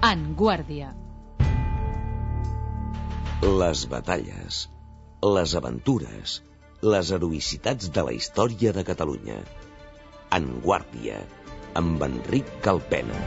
En Guàrdia. Les batalles, les aventures, les heroïcitats de la història de Catalunya. En Guàrdia, amb Enric Calpena.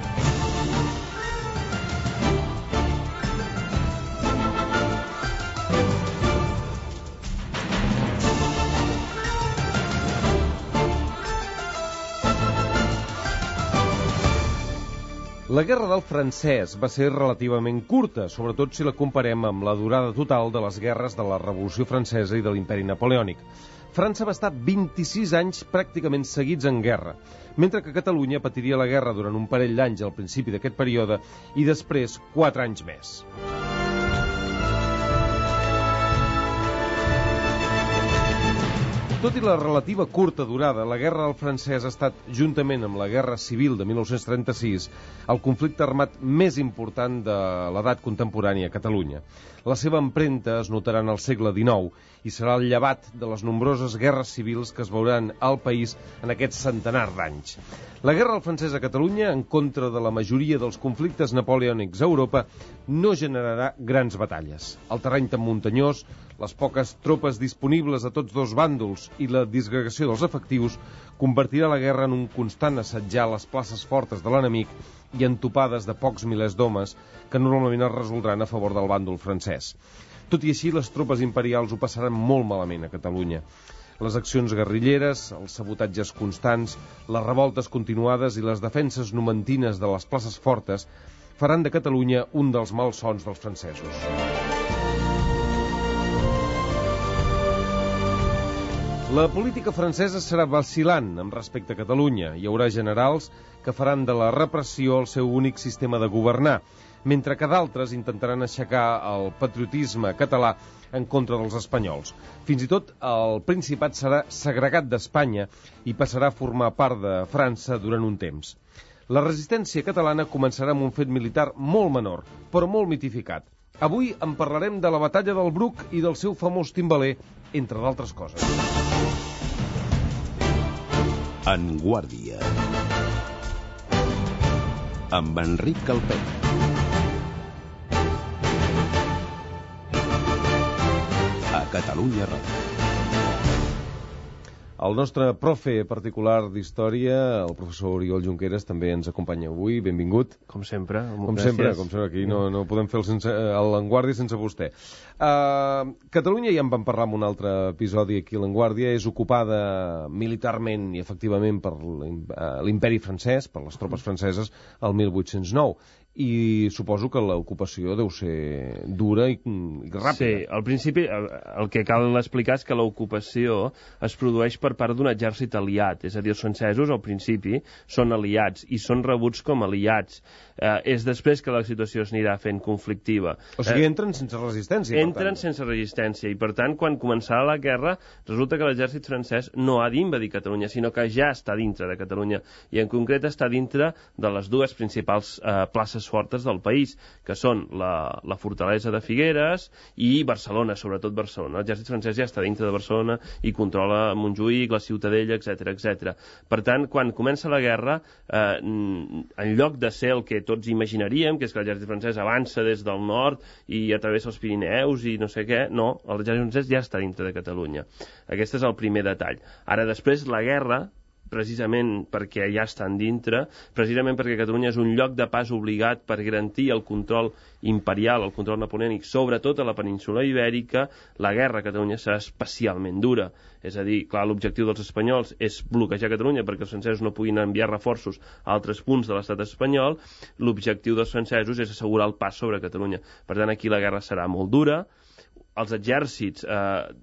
La Guerra del Francès va ser relativament curta, sobretot si la comparem amb la durada total de les guerres de la Revolució Francesa i de l'Imperi Napoleònic. França va estar 26 anys pràcticament seguits en guerra, mentre que Catalunya patiria la guerra durant un parell d'anys al principi d'aquest període i després 4 anys més. Tot i la relativa curta durada, la Guerra del Francès ha estat, juntament amb la Guerra Civil de 1936, el conflicte armat més important de l'edat contemporània a Catalunya. La seva empremta es notarà en el segle XIX i serà el llevat de les nombroses guerres civils que es veuran al país en aquest centenar d'anys. La Guerra del Francès a Catalunya, en contra de la majoria dels conflictes napoleònics a Europa, no generarà grans batalles. El terreny tan muntanyós, les poques tropes disponibles a tots dos bàndols i la disgregació dels efectius convertirà la guerra en un constant assetjar les places fortes de l'enemic i en topades de pocs milers d'homes que normalment es resoldran a favor del bàndol francès. Tot i així, les tropes imperials ho passaran molt malament a Catalunya. Les accions guerrilleres, els sabotatges constants, les revoltes continuades i les defenses numantines de les places fortes faran de Catalunya un dels malsons dels francesos. La política francesa serà vacil·lant amb respecte a Catalunya. Hi haurà generals que faran de la repressió el seu únic sistema de governar, mentre que d'altres intentaran aixecar el patriotisme català en contra dels espanyols. Fins i tot el Principat serà segregat d'Espanya i passarà a formar part de França durant un temps. La resistència catalana començarà amb un fet militar molt menor, però molt mitificat. Avui en parlarem de la batalla del Bruc i del seu famós timbaler, entre d'altres coses. En Guàrdia, amb Enric Calpena. A Catalunya Ràdio. El nostre profe particular d'història, el professor Oriol Junqueras, també ens acompanya avui. Benvingut. Com sempre. Com sempre, aquí no podem fer l'Enguàrdia sense vostè. Catalunya, ja en vam parlar en un altre episodi aquí a l'Enguàrdia, és ocupada militarment i efectivament per l'imperi francès, per les tropes franceses, el 1809. I suposo que l'ocupació deu ser dura i ràpida. Sí, al principi el que cal explicar és que l'ocupació es produeix per part d'un exèrcit aliat, és a dir, els francesos al principi són aliats i són rebuts com aliats. És després que la situació s'anirà fent conflictiva. O sigui, entren sense resistència. Entren sense resistència i, per tant, quan començarà la guerra, resulta que l'exèrcit francès no ha d'invadir Catalunya, sinó que ja està dintre de Catalunya i, en concret, està dintre de les dues principals places fortes del país, que són la fortalesa de Figueres i Barcelona, sobretot Barcelona. L'exèrcit francès ja està dintre de Barcelona i controla Montjuïc, la Ciutadella, etc. Per tant, quan comença la guerra, en lloc de ser el que tots imaginaríem, que és que l'exèrcit francès avança des del nord i a través dels Pirineus i no sé què, no, l'exèrcit francès ja està dintre de Catalunya. Aquest és el primer detall. Ara, després, la guerra, precisament perquè ja estan dintre, precisament perquè Catalunya és un lloc de pas obligat per garantir el control imperial, el control napoleònic, sobretot a la península ibèrica, la guerra a Catalunya serà especialment dura. És a dir, clar, l'objectiu dels espanyols és bloquejar Catalunya perquè els francesos no puguin enviar reforços a altres punts de l'estat espanyol. L'objectiu dels francesos és assegurar el pas sobre Catalunya. Per tant, aquí la guerra serà molt dura, els exèrcits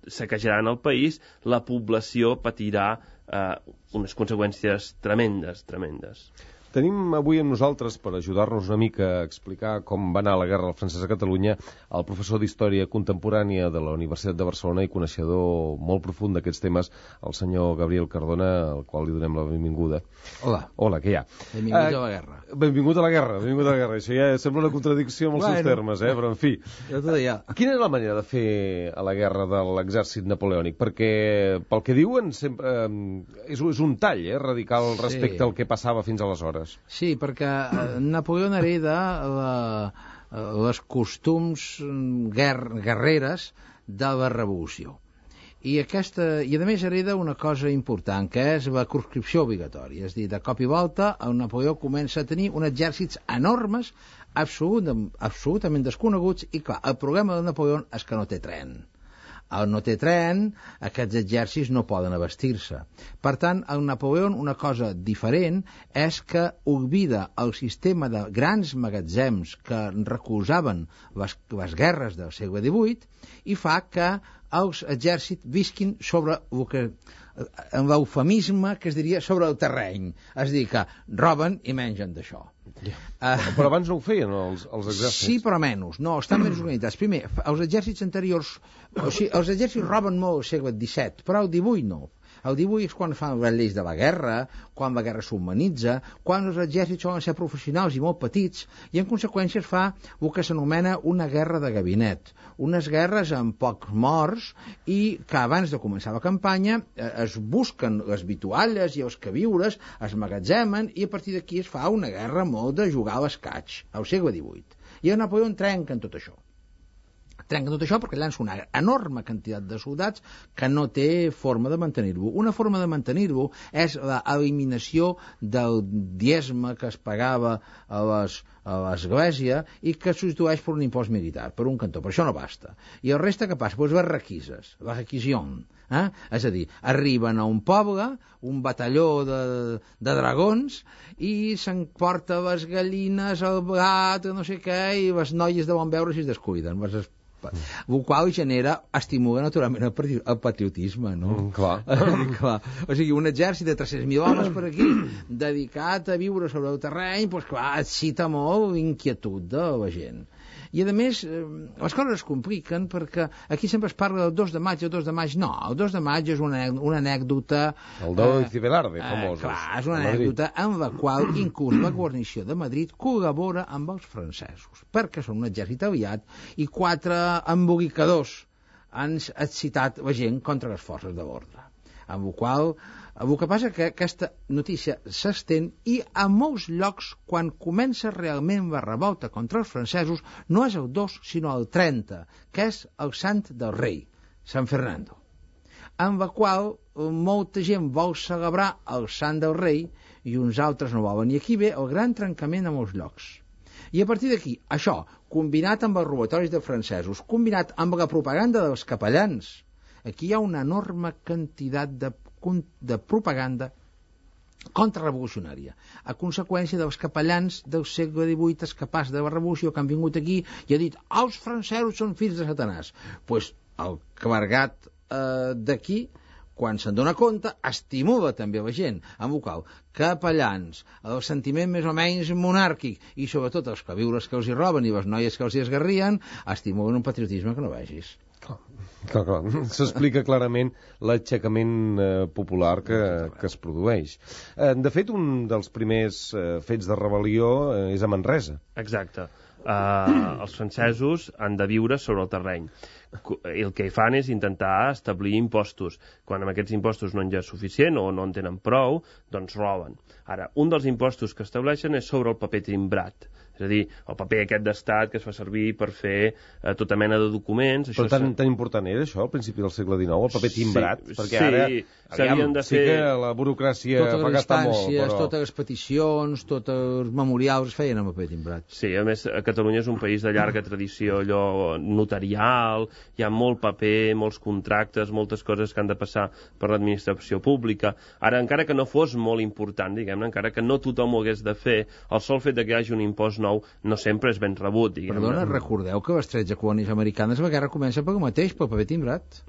saquejaran el país, la població patirà unes conseqüències tremendes. Tenim avui amb nosaltres, per ajudar-nos una mica a explicar com va anar la guerra del francès a Catalunya, el professor d'Història Contemporània de la Universitat de Barcelona i coneixedor molt profund d'aquests temes, el senyor Gabriel Cardona, al qual li donem la benvinguda. Hola. Hola, què hi ha? Benvingut a la guerra. Benvingut a la guerra. Això ja sembla una contradicció amb els seus termes, però en fi. Quina és la manera de fer a la guerra de l'exèrcit napoleònic? Perquè, pel que diuen, sempre és un tall radical respecte al que passava fins aleshores. guerres. Sí, perquè Napoleó hereda les costums guerreres de la revolució. I a més hereda una cosa important, que és la conscripció obligatòria. És a dir, de cop i volta el Napoleó comença a tenir uns exèrcits enormes, absolutament desconeguts, i clar, el problema de Napoleó és que no té tren. El no té tren, aquests exèrcits no poden abastir-se. Per tant, el Napoleó, una cosa diferent, és que oblida el sistema de grans magatzems que recolzaven les guerres del segle XVIII i fa que els exèrcits visquin sobre el que, en l'eufemisme que es diria sobre el terreny. És a dir, que roben i mengen d'això. Però abans no ho feien els exèrcits. Sí, però menys. No, estan més organitzats. Primer, els exèrcits anteriors... O sigui, els exèrcits roben molt al segle XVII, però al XVIII no. El XVIII és quan fan les lleis de la guerra, quan la guerra s'humanitza, quan els exèrcits solen ser professionals i molt petits, i en conseqüència es fa el que s'anomena una guerra de gabinet. Unes guerres amb pocs morts i que abans de començar la campanya es busquen les vitualles i els queviures, es magatzemen i a partir d'aquí es fa una guerra molt de jugar a l'escaig, al segle XVIII. I el Napoleó trenca en tot això. Trenca tot això perquè llança una enorme quantitat de soldats que no té forma de mantenir-lo. Una forma de mantenir-lo és l'eliminació del diezme que es pagava a l'església i que es substitueix per un impost militar, per un cantó. Per això no basta. I el reste què passa? Pues les requises, la requisició. És a dir, arriben a un poble, un batalló de dragons, i s'emporta les gallines, el blat, no sé què, i les noies de bon veure si es descuiden. El qual estimula naturalment el patriotisme, no? Clar. Clar. O sigui, un exèrcit de 300.000 homes per aquí, dedicat a viure sobre el terreny, doncs clar, excita molt l'inquietud de la gent. I a més, les coses es compliquen perquè aquí sempre es parla del 2 de maig, el 2 de maig no, el 2 de maig és una anècdota... El de Cibelarde, famosos. Clar, és una anècdota en la qual inclús la guarnició de Madrid col·labora amb els francesos, perquè són un exèrcit aliat i 4 embolicadors han excitat la gent contra les forces de l'ordre. Amb la qual el que passa que aquesta notícia s'estén i a molts llocs, quan comença realment la revolta contra els francesos, no és el 2, sinó el 30, que és el sant del rei, Sant Fernando, amb la qual molta gent vol celebrar el sant del rei i uns altres no volen. I aquí ve el gran trencament a molts llocs. I a partir d'aquí, això, combinat amb els robatoris de francesos, combinat amb la propaganda dels capellans, aquí hi ha una enorme quantitat de propaganda contrarrevolucionària, a conseqüència dels capellans del segle XVIII escapats de la revolució que han vingut aquí i ha dit els francesos són fills de Satanàs. Doncs el clergat d'aquí, quan se'n dona compte, estimula també la gent, amb el qual capellans, el sentiment més o menys monàrquic i sobretot els queviures que els hi roben i les noies que els hi esgarrien, estimulen un patriotisme que no vegis. Clar. S'explica clarament l'aixecament popular que es produeix. De fet, un dels primers fets de rebel·lió és a Manresa. Exacte. Els francesos han de viure sobre el terreny. El que fan és intentar establir impostos. Quan amb aquests impostos no en hi ha suficient o no en tenen prou, doncs roben. Ara, un dels impostos que estableixen és sobre el paper timbrat. És a dir, el paper aquest d'estat que es fa servir per fer tota mena de documents. Però tan important era això al principi del segle XIX, el paper timbrat? Sí, perquè ara s'havien de fer... Sí que la burocràcia fa gastar molt, però... Totes les peticions, tots els memorials es feien amb paper timbrat. Sí, a més, Catalunya és un país de llarga tradició allò notarial, hi ha molt paper, molts contractes, moltes coses que han de passar per l'administració pública. Ara, encara que no fos molt important, diguem-ne, encara que no tothom ho hagués de fer, el sol fet que hi hagi un impost nou no sempre és ben rebut, diguem-ne. Perdona, recordeu que les 13 colònies americanes la guerra comença pel mateix, pel paper timbrat.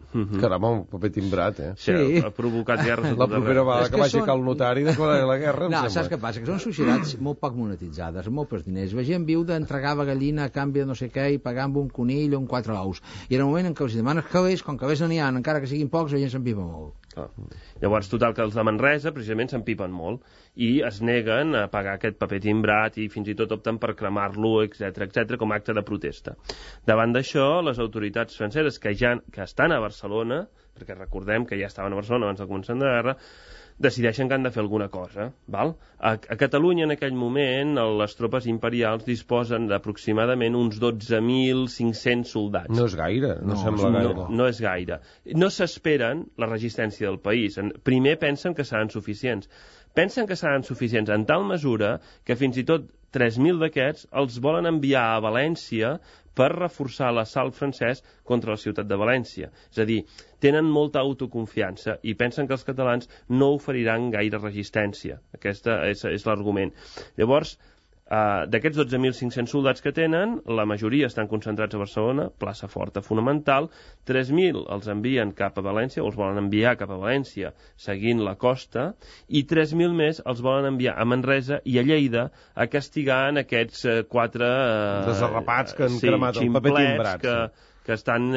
Caramba, un paper timbrat, Sí, ha provocat guerres a tot la propera vegada que vagi al notari declarar la guerra, no, saps què passa? Que són societats molt poc monetitzades, molt pocs diners. La gent viu d'entregar la gallina a canvi de no sé què i pagar amb un conill o amb 4 ous. I en el moment en què els demanes calés, com calés no n'hi ha, encara que siguin pocs, la gent s'empipa molt. Llavors, total, que els de Manresa precisament s'empipen molt i es neguen a pagar aquest paper timbrat i fins i tot opten per cremar-lo, etc com a acte de protesta. Davant d'això, les autoritats franceses que estan a Barcelona, perquè recordem que ja estaven a Barcelona abans del començament de la guerra, decideixen que han de fer alguna cosa. Val? A Catalunya, en aquell moment, les tropes imperials disposen d'aproximadament uns 12.500 soldats. No és gaire, no sembla gaire. No és gaire. No s'esperen la resistència del país. Primer pensen que seran suficients. Pensen que seran suficients en tal mesura que fins i tot 3.000 d'aquests els volen enviar a València per reforçar l'assalt francès contra la ciutat de València. És a dir, tenen molta autoconfiança i pensen que els catalans no oferiran gaire resistència. Aquest és l'argument. Llavors, d'aquests 12.500 soldats que tenen, la majoria estan concentrats a Barcelona, plaça forta fonamental, 3.000 els envien cap a València, o els volen enviar cap a València seguint la costa, i 3.000 més els volen enviar a Manresa i a Lleida a castigar en aquests 4... desarrapats que han cremat el paper timbrat. Que estan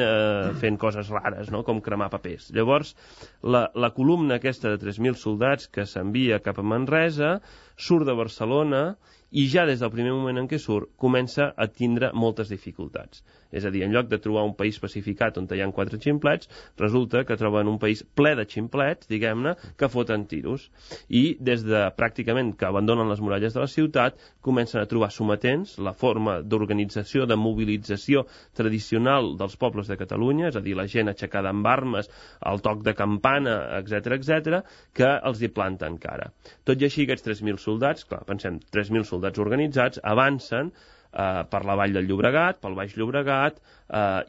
fent coses rares, no? Com cremar papers. Llavors, la columna aquesta de 3.000 soldats que s'envia cap a Manresa surt de Barcelona i ja des del primer moment en què surt comença a tindre moltes dificultats. És a dir, en lloc de trobar un país pacificat on hi ha 4 ximplets, resulta que troben un país ple de ximplets, diguem-ne, que foten tiros. I des de pràcticament que abandonen les muralles de la ciutat, comencen a trobar sometents, la forma d'organització, de mobilització tradicional dels pobles de Catalunya, és a dir, la gent aixecada amb armes, el toc de campana, etc, que els hi planten cara. Tot i així, aquests 3.000 soldats, clar, pensem, 3.000 soldats organitzats, avancen per la vall del Llobregat, pel Baix Llobregat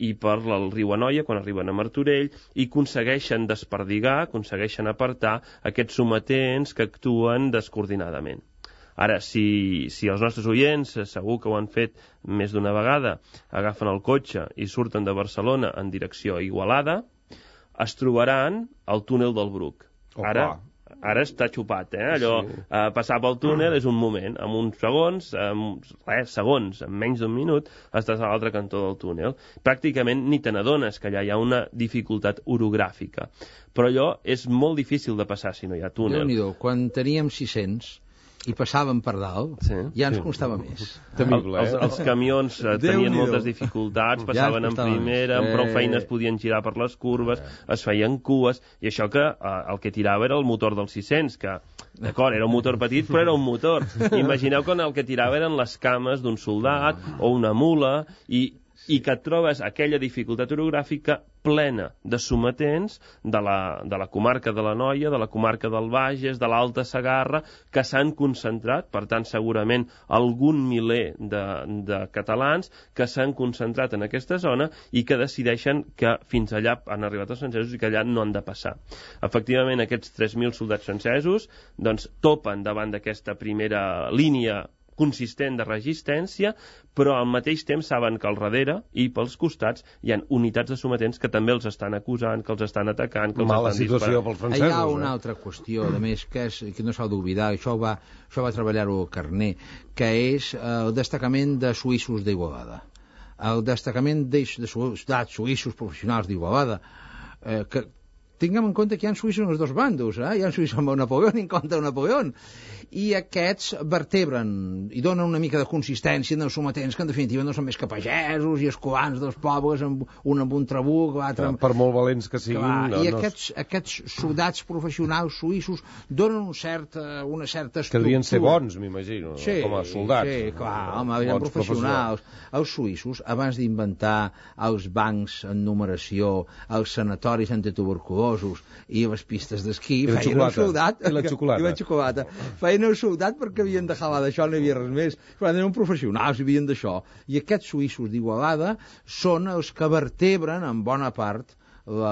i per el riu Anoia quan arriben a Martorell i aconsegueixen desperdigar, aconsegueixen apartar aquests sometents que actuen descoordinadament. Ara, si els nostres oients, segur que ho han fet més d'una vegada, agafen el cotxe i surten de Barcelona en direcció a Igualada, es trobaran al túnel del Bruc. Ara està xupat, allò, passar pel túnel és un moment, en uns segons, en menys d'un minut, estàs a l'altre cantó del túnel. Pràcticament ni te n'adones que allà hi ha una dificultat orogràfica. Però allò és molt difícil de passar si no hi ha túnel. Déu-n'hi-do, quan teníem 600 i passàvem per dalt, ja ens costava més. Temible, els camions tenien moltes dificultats, passaven en primera, amb prou feines podien girar per les curves, es feien cues, i això que el que tirava era el motor dels 600, que, d'acord, era un motor petit, però era un motor. Imagineu que el que tirava eren les cames d'un soldat o una mula, i que et trobes aquella dificultat orogràfica plena de sometents de la comarca de l'Anoia, de la comarca del Bages, de l'Alta Segarra, que s'han concentrat, per tant, segurament algun miler de catalans que s'han concentrat en aquesta zona i que decideixen que fins allà han arribat els francesos i que allà no han de passar. Efectivament, aquests 3.000 soldats francesos doncs, topen davant d'aquesta primera línia consistent de resistència, però al mateix temps saben que al darrere i pels costats hi ha unitats de sometents que també els estan acusant, que els estan atacant, que els mala estan situació disparant. pels francesos. Hi ha una altra qüestió, a més, que no s'ha d'oblidar, això va treballar-ho Carné, que és el destacament de suïssos d'Igualada. El destacament de soldats suïssos professionals d'Igualada, que tinguem en compte que hi ha suïssos en els dos bandos, hi ha suïssos amb Napoleó i en contra de Napoleó, i aquests vertebren i donen una mica de consistència en els sometents que en definitiva no són més que pagesos i escolans dels pobles, un amb un trabuc, l'altre amb... Per molt valents que siguin... I aquests soldats professionals suïssos donen una certa estructura. Que devien ser bons, m'imagino, com a soldats. Sí, clar, home, eren professionals. Els suïssos, abans d'inventar els bancs en numeració, els sanatoris antituberculosos i les pistes d'esquí, feien un soldat... I la xocolata. Feien un soldat perquè havien de jalar d'això, no hi havia res més. Però eren professionals, havien d'això. I aquests suïssos d'Igualada són els que vertebren en bona part de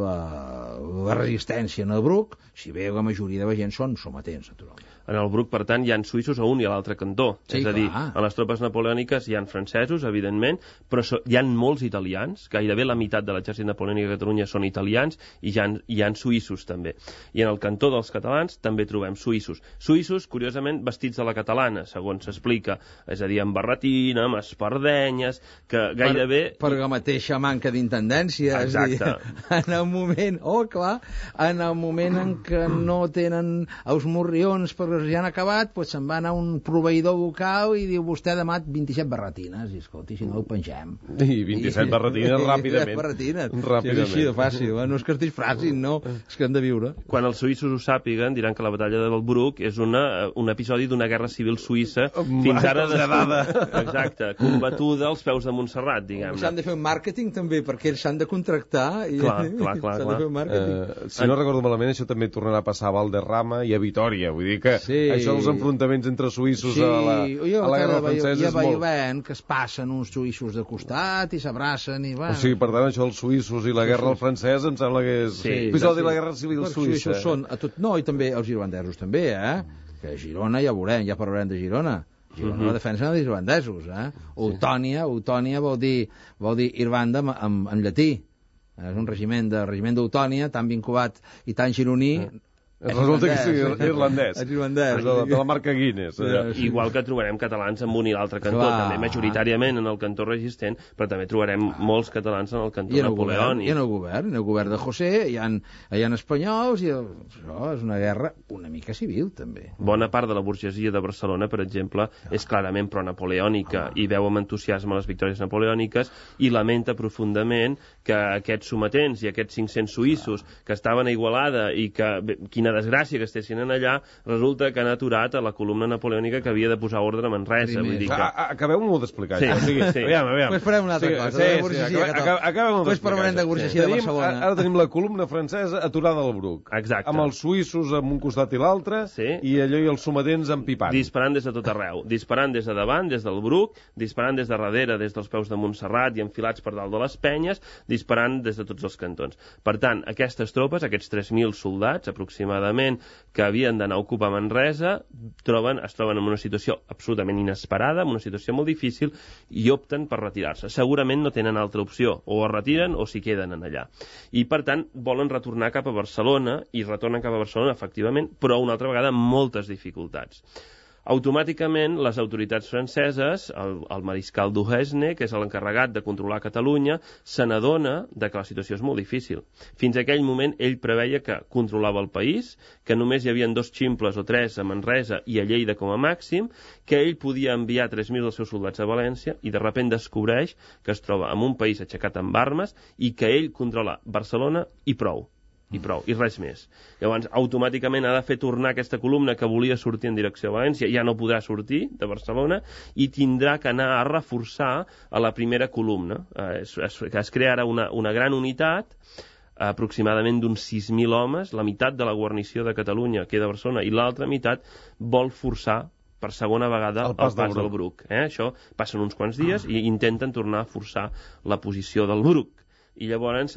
la resistència en el Bruc, si bé la majoria de la gent són sometents, naturalment. En el Bruc, per tant, hi ha suïssos a un i a l'altre cantó. Sí, és a dir, en les tropes napoleòniques hi ha francesos, evidentment, però hi ha molts italians, gairebé la meitat de l'exèrcit napoleònic a Catalunya són italians, i hi ha suïssos, també. I en el cantó dels catalans també trobem suïssos. Suïssos, curiosament, vestits de la catalana, segons s'explica, és a dir, amb barretina, amb espardenyes, que gairebé... Per la mateixa manca d'intendència. Exacte. en el moment, en el moment en què no tenen els morrions perquè ja han acabat, doncs se'n van a un proveïdor local i diu vostè demà 27 barretines, i escolti, si no ho pengem. I 27 barretines ràpidament. És així de fàcil, no és que es disfracin, no, és que han de viure. Quan els suïssos ho sàpiguen, diran que la batalla del Bruc és un episodi d'una guerra civil suïssa fins ara exacte, combatuda als peus de Montserrat, diguem-ne. S'han de fer un màrqueting també, perquè ells s'han de contractar i clar. s'han de fer un màrqueting. Si no recordo malament, això també tornarà a passar a Valderrama i a Vitòria, vull dir que això dels enfrontaments entre suïssos a la guerra francesa és molt... veient que es passen uns suïssos de costat i s'abracen i va... O sigui, per tant, això dels suïssos i la guerra al francès em sembla que és episodi de la guerra civil suïssa. Són a tot... No, i també els irlandesos també, que a Girona ja veurem, ja parlarem de Girona. Girona la defensa dels irlandesos, Eutònia vol dir Irlanda en llatí. És un regiment d'Eutònia tan vinculat i tan gironí. Resulta que és irlandès. És irlandès. De la marca Guinness. Igual que trobarem catalans en un i l'altre cantó, també majoritàriament en el cantó resistent, però també trobarem molts catalans en el cantó napoleònic. I en el govern de José, hi ha espanyols, i això és una guerra una mica civil, també. Bona part de la burgesia de Barcelona, per exemple, és clarament pro-napoleònica i veu amb entusiasme les victòries napoleòniques i lamenta profundament que aquests sometents i aquests 500 suïssos que estaven a Igualada i que, quina desgràcia que estessin en allà, resulta que han aturat a la columna napoleònica que havia de posar ordre a Manresa. Vull dir que... Acabeu-m'ho d'explicar. Sí. Aviam. Pues farem una altra cosa. Acabem-ho d'explicar. Pues parlarem de burgesia de Barcelona. Ara tenim la columna francesa aturada al Bruc. Exacte. Amb els suïssos amb un costat i l'altre, i allò i els sometents empipant. Disparant des de tot arreu. Disparant des de davant, des del Bruc, disparant des de darrere, des dels peus de Montserrat i enfilats per dalt de les penyes, disparant des de tots els cantons. Per tant, aquestes tropes, aquests 3.000 soldats, aproximadament, que havien d'anar a ocupar Manresa, es troben en una situació absolutament inesperada, en una situació molt difícil, i opten per retirar-se. Segurament no tenen altra opció, o es retiren o s'hi queden en allà. I, per tant, volen retornar cap a Barcelona, i retornen cap a Barcelona, efectivament, però una altra vegada amb moltes dificultats. Automàticament, les autoritats franceses, el mariscal Duhesne, que és l'encarregat de controlar Catalunya, se n'adona que la situació és molt difícil. Fins a aquell moment, ell preveia que controlava el país, que només hi havia 2 ximples o 3 a Manresa i a Lleida com a màxim, que ell podia enviar 3.000 dels seus soldats a València, i de sobte descobreix que es troba en un país aixecat amb armes i que ell controla Barcelona i prou. I res més. Llavors, automàticament ha de fer tornar aquesta columna que volia sortir en direcció a València, ja no podrà sortir de Barcelona i tindrà que anar a reforçar a la primera columna. Es crea ara una gran unitat, aproximadament d'uns 6.000 homes, la meitat de la guarnició de Catalunya queda a Barcelona i l'altra meitat vol forçar per segona vegada el pas del Bruc. Això passen uns quants dies i intenten tornar a forçar la posició del Bruc. I llavors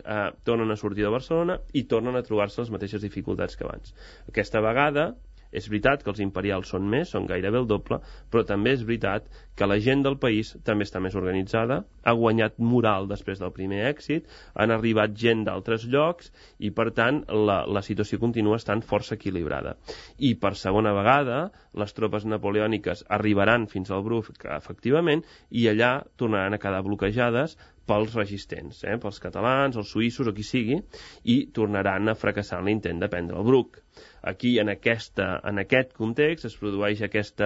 tornen a sortir de Barcelona i tornen a trobar-se les mateixes dificultats que abans. Aquesta vegada és veritat que els imperials són més, són gairebé el doble, però també és veritat que la gent del país també està més organitzada, ha guanyat moral després del primer èxit, han arribat gent d'altres llocs i, per tant, la situació continua estant força equilibrada. I, per segona vegada, les tropes napoleòniques arribaran fins al Bruc, efectivament, i allà tornaran a quedar bloquejades pels resistents, pels catalans, els suïssos o qui sigui, i tornaran a fracassar en l'intent de prendre el Bruc. Aquí, en aquest context, es produeix aquest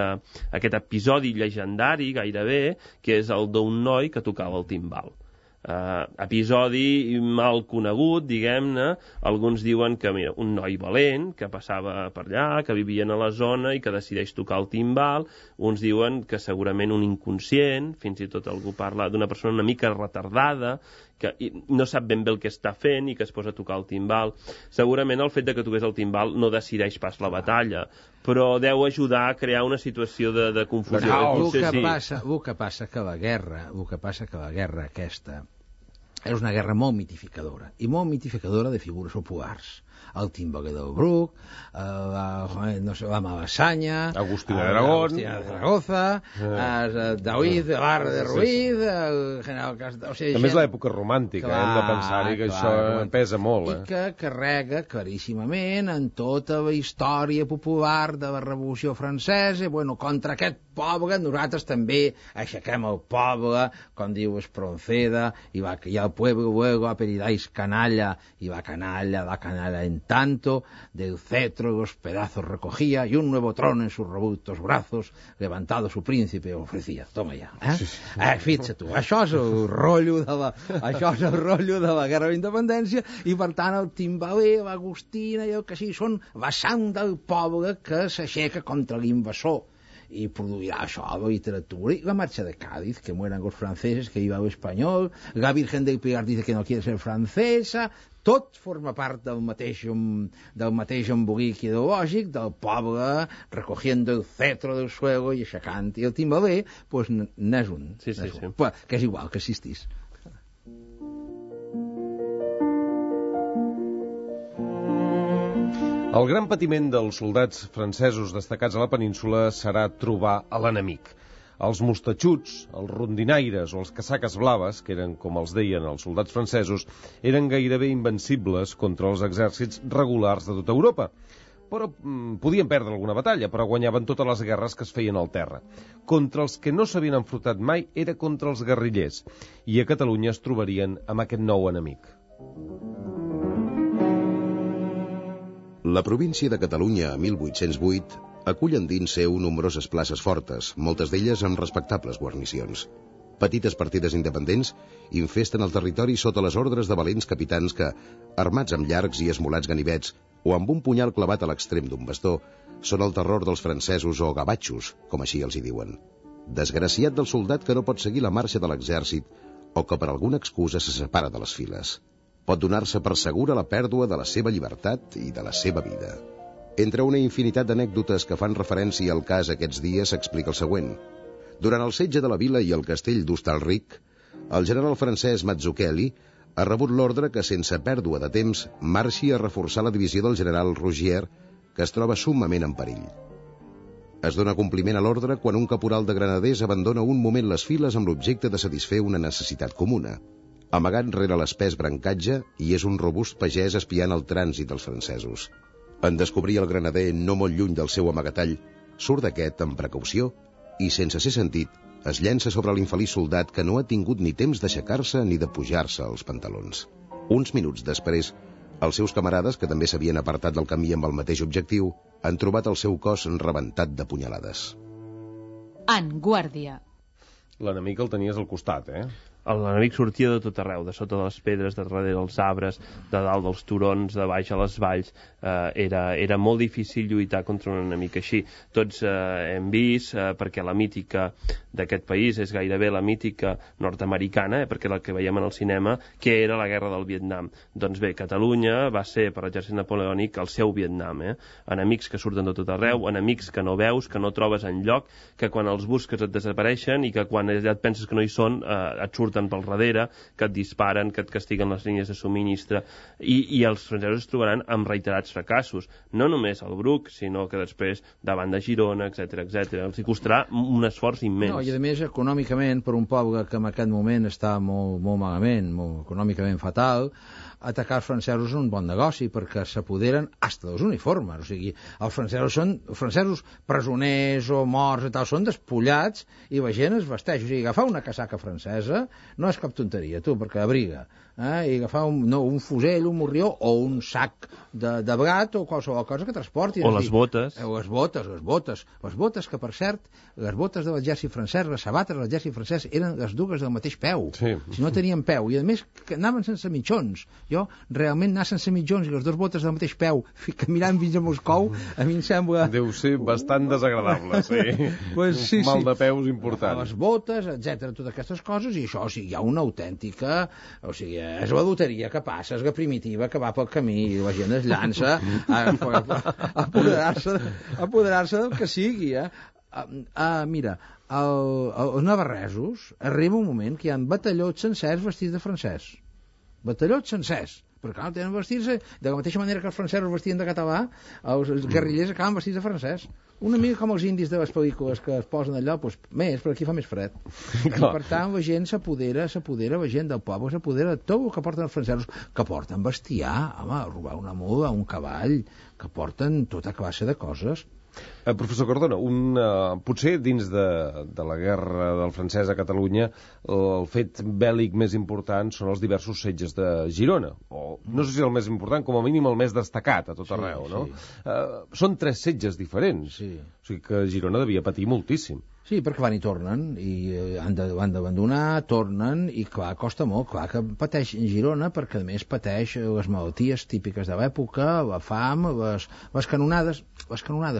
episodi llegendari, gairebé, que és el d'un noi que tocava el timbal. Episodi mal conegut, diguem-ne. Alguns diuen que un noi valent que passava per allà, que vivien a la zona i que decideix tocar el timbal. Uns diuen que segurament un inconscient, fins i tot algú parla d'una persona una mica retardada que no sap ben bé el que està fent i que es posa a tocar el timbal. Segurament el fet de que toqués el timbal no decideix pas la batalla, però deu ajudar a crear una situació de confusió. El que passa que la guerra aquesta és una guerra molt mitificadora, i molt mitificadora de figures populars. el Timbaler del Bruc, la Malasaña, Agustín de Aragón, de Zaragoza, David de Barra de Ruiz, el general Castell... O sigui, també és l'època romàntica, hem de pensar-hi que això pesa molt. I que carrega claríssimament en tota la història popular de la Revolució Francesa. Bueno, contra aquest poble nosaltres també aixequem el poble, com diu Espronceda, y al pueblo luego apellidáis canalla, y la canalla en tanto, del cetro los pedazos recogía, y un nuevo trono en sus robustos brazos, levantado su príncipe, ofrecía. Toma ja. Fixa tu, això és el rotllo de la Guerra d'Independència, i per tant el Timbaler, l'Agustina i el que sigui són la sang del poble que s'aixeca contra l'invasor, y produirá això a la literatura. Y la marcha de Cádiz, que mueran los franceses, que iba el español, la Virgen del Pilar dice que no quiere ser francesa, tot forma part del mateix embolic ideològic del poble recogiendo el cetro del suelo i aixecant. I el Timbaler, pues, n'és un. Sí. Que és igual que existís. El gran patiment dels soldats francesos destacats a la península serà trobar a l'enemic. Els mostatxuts, els rondinaires o els casaques blaves, que eren com els deien els soldats francesos, eren gairebé invencibles contra els exèrcits regulars de tota Europa. Però podien perdre alguna batalla, però guanyaven totes les guerres que es feien al terra. Contra els que no s'havien enfrontat mai era contra els guerrillers, i a Catalunya es trobarien amb aquest nou enemic. La província de Catalunya, a 1808, acull endins seu nombroses places fortes, moltes d'elles amb respectables guarnicions. Petites partides independents infesten el territori sota les ordres de valents capitans que, armats amb llargs i esmolats ganivets o amb un punyal clavat a l'extrem d'un bastó, són el terror dels francesos o gavatxos, com així els hi diuen. Desgraciat del soldat que no pot seguir la marxa de l'exèrcit o que per alguna excusa se separa de les files. Pot donar-se per segura la pèrdua de la seva llibertat i de la seva vida. Entre una infinitat d'anècdotes que fan referència al cas aquests dies s'explica el següent. Durant el setge de la vila i el castell d'Hostalric, el general francès Mazzucchelli ha rebut l'ordre que, sense pèrdua de temps, marxi a reforçar la divisió del general Rogier, que es troba summament en perill. Es dona compliment a l'ordre quan un caporal de granaders abandona un moment les files amb l'objecte de satisfer una necessitat comuna. Amagat rere l'espès brancatge, hi és un robust pagès espiant el trànsit dels francesos. En descobrir el granader no molt lluny del seu amagatall, surt d'aquest amb precaució i, sense ser sentit, es llença sobre l'infeliç soldat que no ha tingut ni temps d'aixecar-se ni de pujar-se els pantalons. Uns minuts després, els seus camarades, que també s'havien apartat del camí amb el mateix objectiu, han trobat el seu cos rebentat de punyalades. En guàrdia. L'enemic el tenies al costat, L'enemic sortia de tot arreu, de sota de les pedres, de darrere dels arbres, de dalt dels turons, de baix a les valls. Era molt difícil lluitar contra un enemic així. Tots hem vist, perquè la mítica d'aquest país és gairebé la mítica nord-americana, perquè la que veiem en el cinema, que era la guerra del Vietnam. Doncs bé, Catalunya va ser, per l'exèrcit napoleònic, el seu Vietnam. Enemics que surten de tot arreu, enemics que no veus, que no trobes enlloc, que quan els busques et desapareixen i que quan ja et penses que no hi són, et surten pel darrere, que et disparen, que et castiguen les línies de subministre, i els francesos es trobaran amb reiterats fracassos, no només al Bruc, sinó que després davant de Girona, etc. Els hi costarà un esforç immens. No, i a més, econòmicament, per un poble que en aquest moment està molt malament, molt econòmicament fatal, atacar els francesos és un bon negoci, perquè s'apoderen hasta dels uniformes. O sigui, els francesos presoners o morts i tal, són despullats i la gent es vesteix. O sigui, agafar una casaca francesa no és cap tonteria, tu, perquè abriga. I agafar un fusell, un morrió o un sac de blat o qualsevol cosa que transporti. O les botes. Les botes que, per cert, les botes de l'exèrcit francès, les sabates de l'exèrcit francès eren les dues del mateix peu. Sí. Si no tenien peu. I a més que anaven sense mitjons. Jo realment anar sense mitjons i les dues botes del mateix peu caminant fins a Moscou, a mi em sembla... Deu ser bastant desagradable, sí. Pues sí, un mal de peus important. Les botes, etc, totes aquestes coses, i això, o sigui, hi ha una autèntica... O sigui, és la loteria que passa, és la primitiva que va pel camí, i la gent es llança a apoderar-se del que sigui, mira, als navarresos arriba un moment que hi ha batallons sencers vestits de francès. Batallons sencers, perquè clar, tenen vestir-se de la mateixa manera que els francesos vestien de català, els guerrillers acaben vestits de francès. Una mica com els indis de les pel·lícules que es posen allò, doncs més, però aquí fa més fred. I per tant, la gent s'apodera, la gent del poble s'apodera de tot el que porten els francesos, que porten bestiar, home, robar una mula, un cavall, que porten tota classe de coses. Professor Cardona, potser dins de la guerra del francès a Catalunya el fet bèl·lic més important són els diversos setges de Girona, o no sé si el més important, com a mínim el més destacat a tot arreu, no? Són 3 setges diferents, o sigui que Girona devia patir moltíssim. Sí, perquè van i tornen, i han d'abandonar, tornen, i clar, costa molt, clar que pateix Girona, perquè a més pateix les malalties típiques de l'època, la fam, les canonades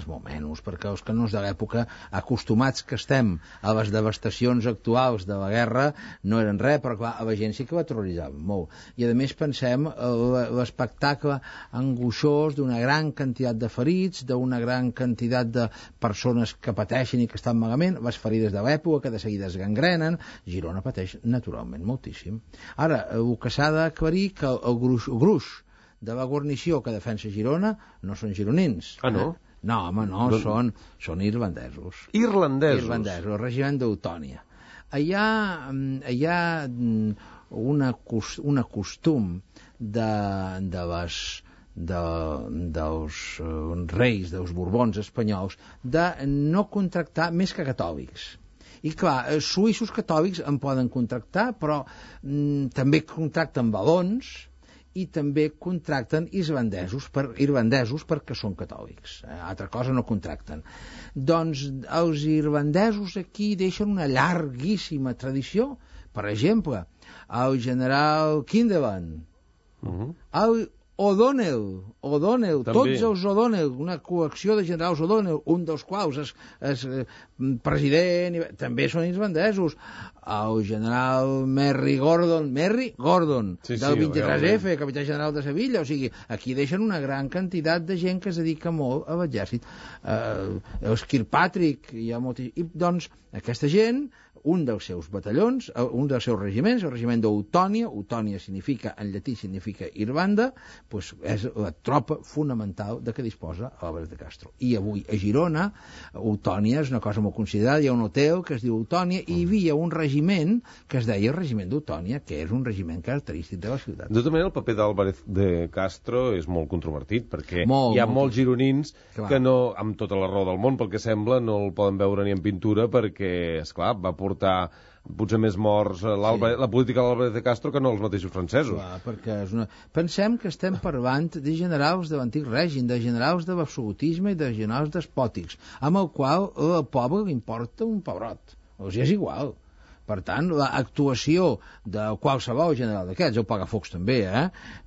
molt menys, perquè els canons de l'època, acostumats que estem a les devastacions actuals de la guerra, no eren res, però clar, a la gent sí que la terroritzaven molt. I a més pensem l'espectacle angoixós d'una gran quantitat de ferits, d'una gran quantitat de persones que pateixen i que estan malament, les ferides de l'època, que de seguida es gangrenen. Girona pateix naturalment moltíssim. Ara, el que s'ha d'aclarir que el gruix de la guarnició que defensa Girona no són gironins. Ah, no? No, home, no, són irlandesos. Irlandesos? Irlandesos, el regiment d'Eutònia. Hi ha un costum dels reis, dels borbons espanyols, de no contractar més que catòlics. I clar, suïssos catòlics en poden contractar, però també contracten valons i també contracten irlandesos perquè són catòlics. Altra cosa no contracten. Doncs els irlandesos aquí deixen una llarguíssima tradició. Per exemple, el general Kindelan, el O'Donnell, també. tots els O'Donnell, una col·lecció de generals O'Donnell, un dels quals és president, també són irlandesos. El general Merry Gordon, del 23F, capità general de Sevilla. O sigui, aquí deixen una gran quantitat de gent que es dedica molt a l'exèrcit. Els Kirkpatrick, hi ha molta... I doncs, aquesta gent, un dels seus batallons, un dels seus regiments, el regiment d'Eutònia, Eutònia significa, en llatí significa Irlanda, doncs és la tropa fonamental de què disposa Álvarez de Castro. I avui a Girona, Eutònia és una cosa molt considerada, hi ha un hotel que es diu Eutònia, i hi havia un regiment que es deia regiment d'Eutònia, que és un regiment característic de la ciutat. De tota manera, el paper d'Álvarez de Castro és molt controvertit, perquè hi ha molts gironins que no, amb tota la raó del món, pel que sembla, no el poden veure ni en pintura, perquè, esclar, va portar potser més morts la política de l'Álvarez de Castro que no els mateixos francesos. Clar, perquè pensem que estem parlant de generals de l'antic règim, de generals de l'absolutisme i de generals despòtics, amb el qual el poble li importa un pebrot. O sigui, és igual. Per tant, l'actuació de qualsevol general d'aquests, el Pagafocs també,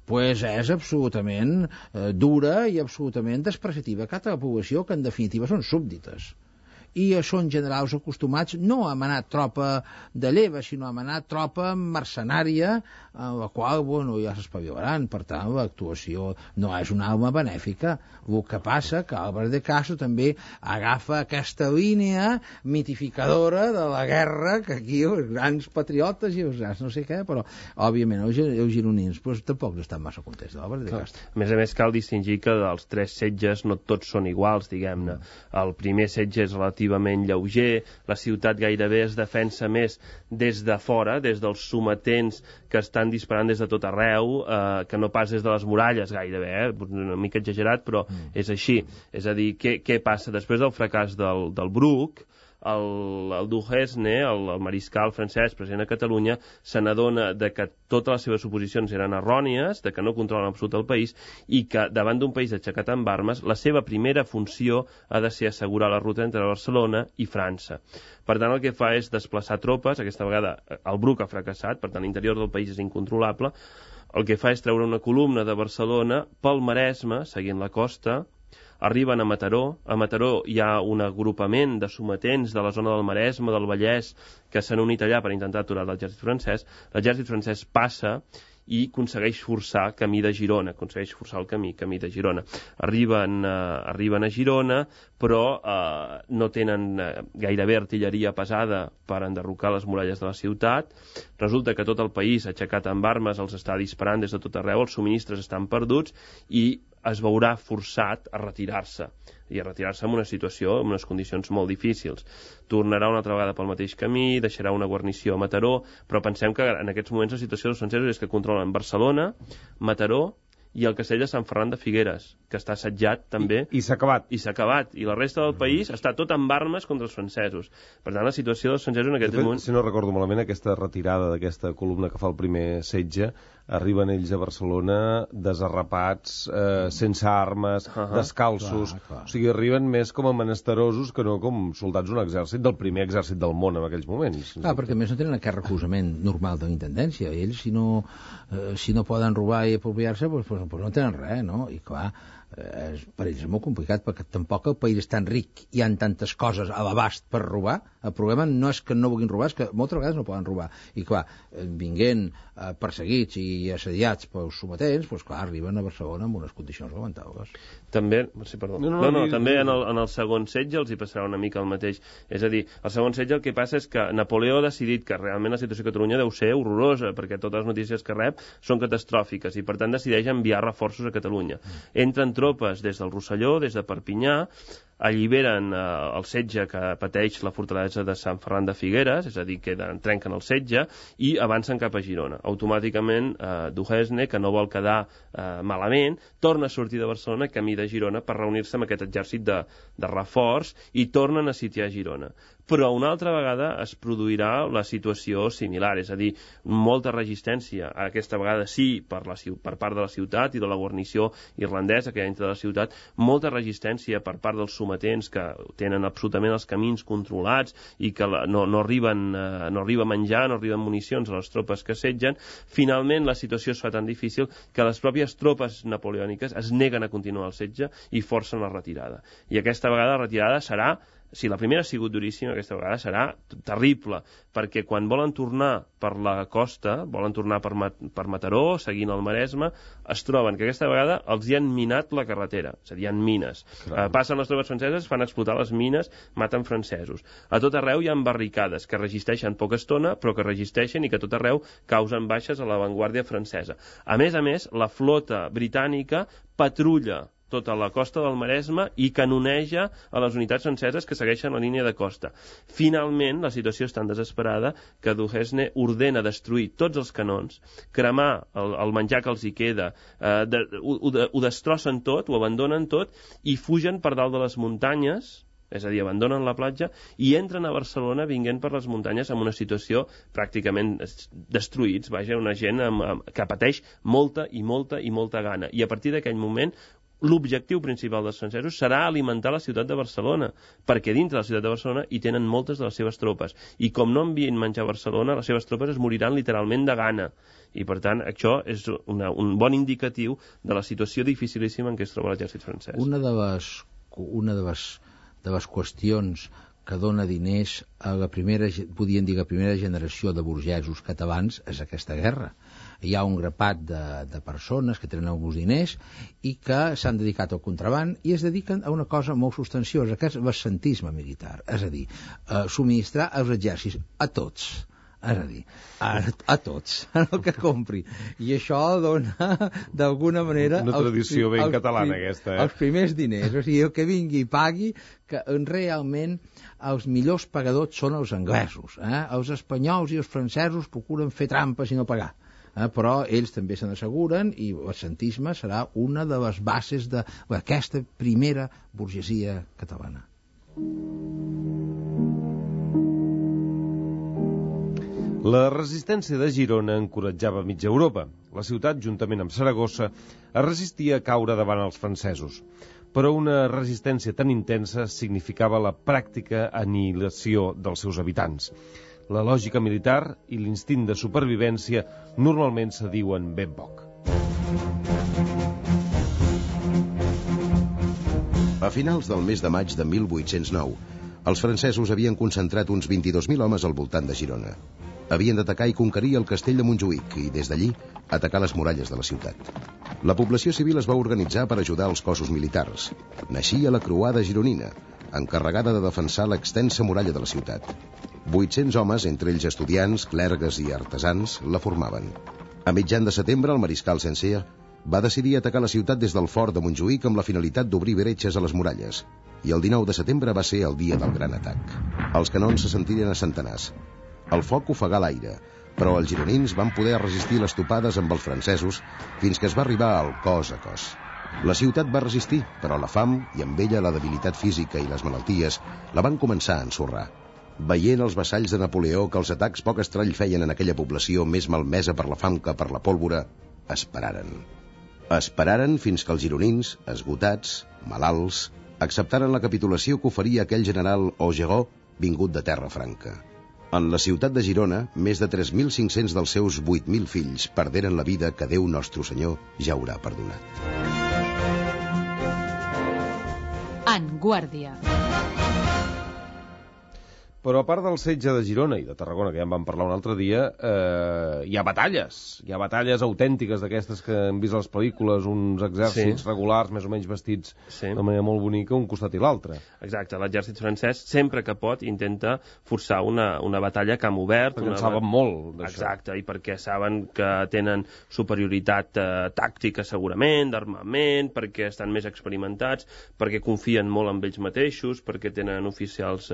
pues és absolutament dura i absolutament despreciativa cap a la població, que en definitiva són súbdites. I són generals acostumats no a manar tropa de lleva, sinó a manar tropa mercenària, en la qual, bueno, ja s'espavilaran. Per tant, l'actuació no és una alma benèfica. El que passa que Álvarez de Castro també agafa aquesta línia mitificadora de la guerra, que aquí els grans patriotes i els grans no sé què, però, òbviament, els gironins pues, tampoc no estan massa contents d'Álvarez de Castro. A més, cal distingir que dels 3 setges no tots són iguals, diguem-ne. El primer setge és relativament lleuger, la ciutat gairebé es defensa més des de fora, des dels sometents que estan disparant des de tot arreu, que no pas des de les muralles gairebé, una mica exagerat, però és així. És a dir, què passa? Després del fracàs del Bruc, el Duhesne, el mariscal francès present a Catalunya, se n'adona de que totes les seves suposicions eren errònies, de que no controlen absolut el país, i que davant d'un país aixecat amb armes, la seva primera funció ha de ser assegurar la ruta entre Barcelona i França. Per tant, el que fa és desplaçar tropes. Aquesta vegada el Bruc ha fracassat, per tant l'interior del país és incontrolable. El que fa és treure una columna de Barcelona pel Maresme, seguint la costa. Arriben a Mataró. A Mataró hi ha un agrupament de sometents de la zona del Maresme, del Vallès, que s'han unit allà per intentar aturar l'exèrcit francès. L'exèrcit francès passa i aconsegueix forçar camí de Girona, aconsegueix forçar el camí de Girona. Arriben a Girona, però no tenen gairebé artilleria pesada per enderrocar les muralles de la ciutat. Resulta que tot el país, aixecat amb armes, els està disparant des de tot arreu, els subministres estan perduts i es veurà forçat a retirar-se en una situació, en unes condicions molt difícils. Tornarà una altra vegada pel mateix camí, deixarà una guarnició a Mataró, però pensem que en aquests moments la situació dels francesos és que controlen Barcelona, Mataró i el castell de Sant Ferran de Figueres, que està assetjat també. I s'ha acabat. I s'ha acabat. I la resta del país està tot amb armes contra els francesos. Per tant, la situació dels francesos en aquest moment... Si no recordo malament, aquesta retirada d'aquesta columna que fa el primer setge, arriben ells a Barcelona desarrapats, sense armes, descalços. Clar. O sigui, arriben més com a menesterosos que no com soldats d'un exèrcit, del primer exèrcit del món en aquells moments. Clar, perquè a més no tenen aquest recolzament normal de la intendència. Ells, si no poden robar i apropiar-se, doncs no tenen res, no? I clar, per ells és molt complicat, perquè tampoc el país és tan ric, hi ha tantes coses a l'abast per robar. El problema no és que no vulguin robar, és que moltes vegades no poden robar. I clar, vinguent perseguits i assediats pels sometents, doncs clar, arriben a Barcelona amb unes condicions lamentables. També, sí, perdó. També en el segon setge els hi passarà una mica el mateix. És a dir, el segon setge el que passa és que Napoleó ha decidit que realment la situació a Catalunya deu ser horrorosa, perquè totes les notícies que rep són catastròfiques, i per tant decideix enviar reforços a Catalunya. Entren tropes des del Rosselló, des de Perpinyà, alliberen el setge que pateix la fortalesa de Sant Ferran de Figueres, és a dir, que trenquen el setge i avancen cap a Girona. Automàticament, Duhesne, que no vol quedar malament, torna a sortir de Barcelona camí de Girona per reunir-se amb aquest exèrcit de reforç i tornen a sitiar Girona. Però una altra vegada es produirà la situació similar, és a dir, molta resistència, aquesta vegada sí per part de la ciutat i de la guarnició irlandesa que hi ha dintre de la ciutat, molta resistència per part dels sometents que tenen absolutament els camins controlats i que no arriba menjar, no arriben municions a les tropes que assetgen. Finalment la situació es fa tan difícil que les pròpies tropes napoleòniques es neguen a continuar el setge i forcen la retirada. I aquesta vegada la retirada serà, si la primera ha sigut duríssima, aquesta vegada serà terrible, perquè quan volen tornar per la costa, volen tornar per Mataró, seguint el Maresme, es troben que aquesta vegada els hi han minat la carretera, és a dir, hi ha mines. Passen les tropes franceses, fan explotar les mines, maten francesos. A tot arreu hi ha barricades que resisteixen poca estona, però que resisteixen i que a tot arreu causen baixes a l'avantguàrdia francesa. A més, la flota britànica patrulla tota la costa del Maresme i canoneja a les unitats franceses que segueixen la línia de costa. Finalment, la situació és tan desesperada que Duhesne ordena destruir tots els canons, cremar el menjar que els hi queda, ho destrossen tot, ho abandonen tot i fugen per dalt de les muntanyes, és a dir, abandonen la platja i entren a Barcelona vinguent per les muntanyes amb una situació pràcticament destruïts, una gent que pateix molta i molta gana. I a partir d'aquell moment l'objectiu principal dels francesos serà alimentar la ciutat de Barcelona, perquè dintre de la ciutat de Barcelona hi tenen moltes de les seves tropes. I com no envien menjar a Barcelona, les seves tropes es moriran literalment de gana. I per tant, això és un bon indicatiu de la situació dificilíssima en què es troba l'exèrcit francès. Una de les qüestions que dona diners a la primera generació de burgesos catalans és aquesta guerra. Hi ha un grapat de persones que tenen alguns diners i que s'han dedicat al contraband i es dediquen a una cosa molt substanciosa, que és l'ascentisme militar, és a dir, subministrar els exèrcits a tots. És a dir, a tots, el que compri. I això dona, d'alguna manera... Una tradició ben catalana, aquesta, Els primers diners, o sigui, el que vingui i pagui, que realment els millors pagadors són els anglesos. Els espanyols i els francesos procuren fer trampes i no pagar. Però ells també se n'asseguren i l'ascentisme serà una de les bases d'aquesta primera burgesia catalana. La resistència de Girona encoratjava mitja Europa. La ciutat, juntament amb Saragossa, es resistia a caure davant els francesos. Però una resistència tan intensa significava la pràctica anihilació dels seus habitants. La lògica militar i l'instint de supervivència normalment se diuen ben poc. A finals del mes de maig de 1809, els francesos havien concentrat uns 22.000 homes al voltant de Girona. Havien d'atacar i conquerir el castell de Montjuïc i, des d'allí, atacar les muralles de la ciutat. La població civil es va organitzar per ajudar els cossos militars. Naixia la Croada Gironina, encarregada de defensar l'extensa muralla de la ciutat. 800 homes, entre ells estudiants, clergues i artesans, la formaven. A mitjan de setembre, el mariscal Saint-Cyr va decidir atacar la ciutat des del fort de Montjuïc amb la finalitat d'obrir bretxes a les muralles, i el 19 de setembre va ser el dia del gran atac. Els canons se sentiren a centenars. El foc ofegà l'aire, però els gironins van poder resistir les topades amb els francesos fins que es va arribar al cos a cos. La ciutat va resistir, però la fam i amb ella la debilitat física i les malalties la van començar a ensorrar. Veient els vassalls de Napoleó que els atacs poc estrany feien en aquella població més malmesa per la fam que per la pólvora, esperaren. Esperaren fins que els gironins, esgotats, malalts, acceptaren la capitulació que oferia aquell general Augereau vingut de Terra Franca. En la ciutat de Girona, més de 3.500 dels seus 8.000 fills perderen la vida que Déu Nostre Senyor ja haurà perdonat. En Guàrdia. Però a part del setge de Girona i de Tarragona, que ja en vam parlar un altre dia, hi ha batalles. Hi ha batalles autèntiques d'aquestes que hem vist a les pel·lícules, uns exèrcits regulars, més o menys vestits de manera molt bonica, un costat i l'altre. Exacte, l'exèrcit francès, sempre que pot, intenta forçar una batalla a camp obert. Perquè en saben molt d'això. Exacte, i perquè saben que tenen superioritat tàctica segurament, d'armament, perquè estan més experimentats, perquè confien molt en ells mateixos, perquè tenen oficials